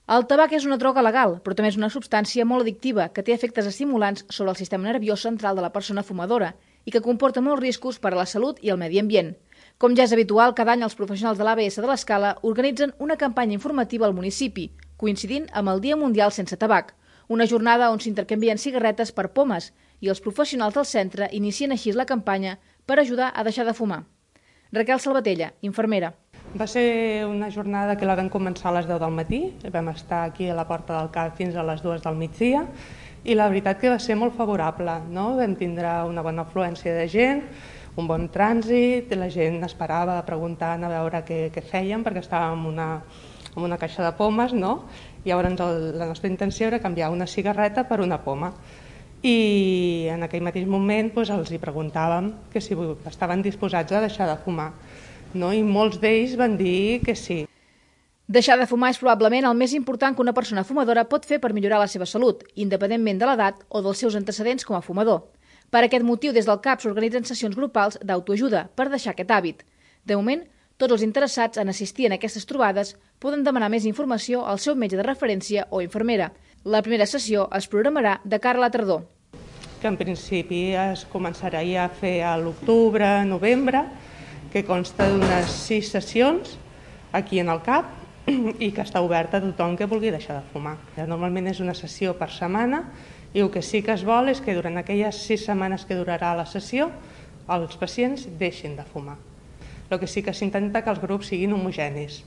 El tabac és una droga legal, però també és una substància molt addictiva que té efectes estimulants sobre el sistema nerviós central de la persona fumadora i que comporta molts riscos per a la salut i el medi ambient. Com ja és habitual, cada any els professionals de l'ABS de l'Escala organitzen una campanya informativa al municipi, coincidint amb el Dia Mundial Sense Tabac, una jornada on s'intercanvien cigarretes per pomes i els professionals del centre inicien així la campanya per ajudar a deixar de fumar. Raquel Salvatella, infermera. Va ser una jornada que la vam començar a les 10 del matí, vam estar aquí a la porta del CAP fins a les 2 del migdia i la veritat que va ser molt favorable, no? Vam tindre una bona afluència de gent, un bon trànsit, la gent esperava preguntant a veure què fèiem perquè estàvem en una caixa de pomes, no? I llavors la nostra intenció era canviar una cigarreta per una poma. I en aquell mateix moment els hi preguntàvem que si estaven disposats a deixar de fumar. No? I molts d'ells van dir que sí. Deixar de fumar és probablement el més important que una persona fumadora pot fer per millorar la seva salut, independentment de l'edat o dels seus antecedents com a fumador. Per aquest motiu, des del CAP s'organitzen sessions grupals d'autoajuda per deixar aquest hàbit. De moment, tots els interessats en assistir en aquestes trobades poden demanar més informació al seu metge de referència o infermera. La primera sessió es programarà de cara a la tardor. Que en principi es començarà ja a fer a l'octubre, novembre, que consta d'unes 6 sessions aquí en el CAP i que està oberta a tothom que vulgui deixar de fumar. Normalment és una sessió per setmana i el que sí que es vol és que durant aquelles 6 setmanes que durarà la sessió els pacients deixin de fumar. El que sí que s'intenta que els grups siguin homogenis,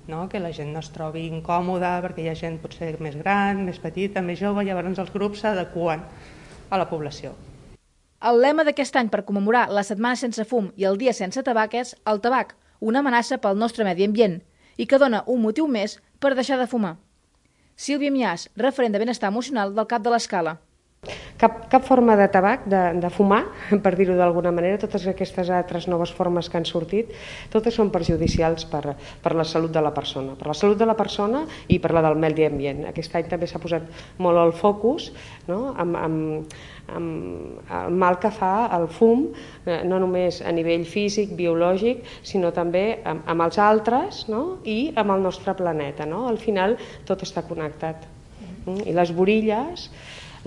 no? Que la gent no es trobi incòmoda perquè hi ha gent potser més gran, més petita, més jove, llavors els grups s'adeqüen a la població. El lema d'aquest any per commemorar la Setmana Sense Fum i el Dia Sense Tabac és el tabac, una amenaça pel nostre medi ambient i que dona un motiu més per deixar de fumar. Sílvia Miàs, referent de benestar emocional del CAP de l'Escala. Cap forma de tabac, de fumar, per dir-ho d'alguna manera, totes aquestes altres noves formes que han sortit, totes són perjudicials per la salut de la persona. Per la salut de la persona i per la del medi ambient. Aquest any també s'ha posat molt el focus, no? amb el mal que fa el fum, no només a nivell físic, biològic, sinó també amb els altres, no? I amb el nostre planeta. No? Al final tot està connectat. I les borilles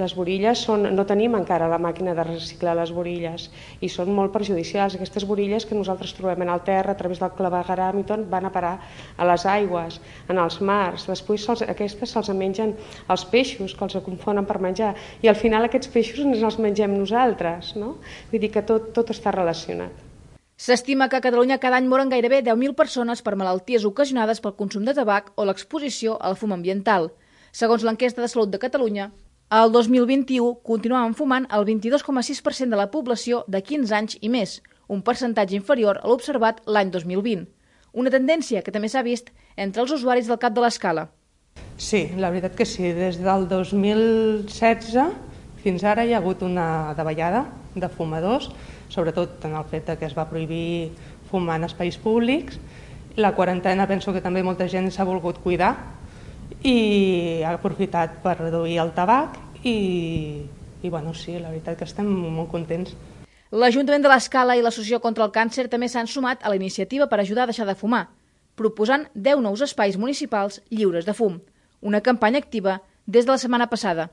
no tenim encara la màquina de reciclar les borilles i són molt perjudicials. Aquestes borilles que nosaltres trobem en el terra a través del clavegueram i tot van a parar a les aigües, en els mars. Després aquestes se'ls mengen els peixos, que els confonen per menjar, i al final aquests peixos ens els mengem nosaltres. No? Vull dir que tot està relacionat. S'estima que a Catalunya cada any moren gairebé 10.000 persones per malalties ocasionades pel consum de tabac o l'exposició al fum ambiental. Segons l'enquesta de salut de Catalunya, el 2021 continuaven fumant el 22,6% de la població de 15 anys i més, un percentatge inferior a l'observat l'any 2020. Una tendència que també s'ha vist entre els usuaris del CAP de l'Escala. Sí, la veritat que sí. Des del 2016 fins ara hi ha hagut una davallada de fumadors, sobretot en el fet que es va prohibir fumar en espais públics. La quarantena penso que també molta gent s'ha volgut cuidar i ha aprofitat per reduir el tabac i bueno, sí, la veritat que estem molt contents. L'Ajuntament de l'Escala i l'Associació contra el Càncer també s'han sumat a la iniciativa per ajudar a deixar de fumar, proposant 10 nous espais municipals lliures de fum, una campanya activa des de la setmana passada.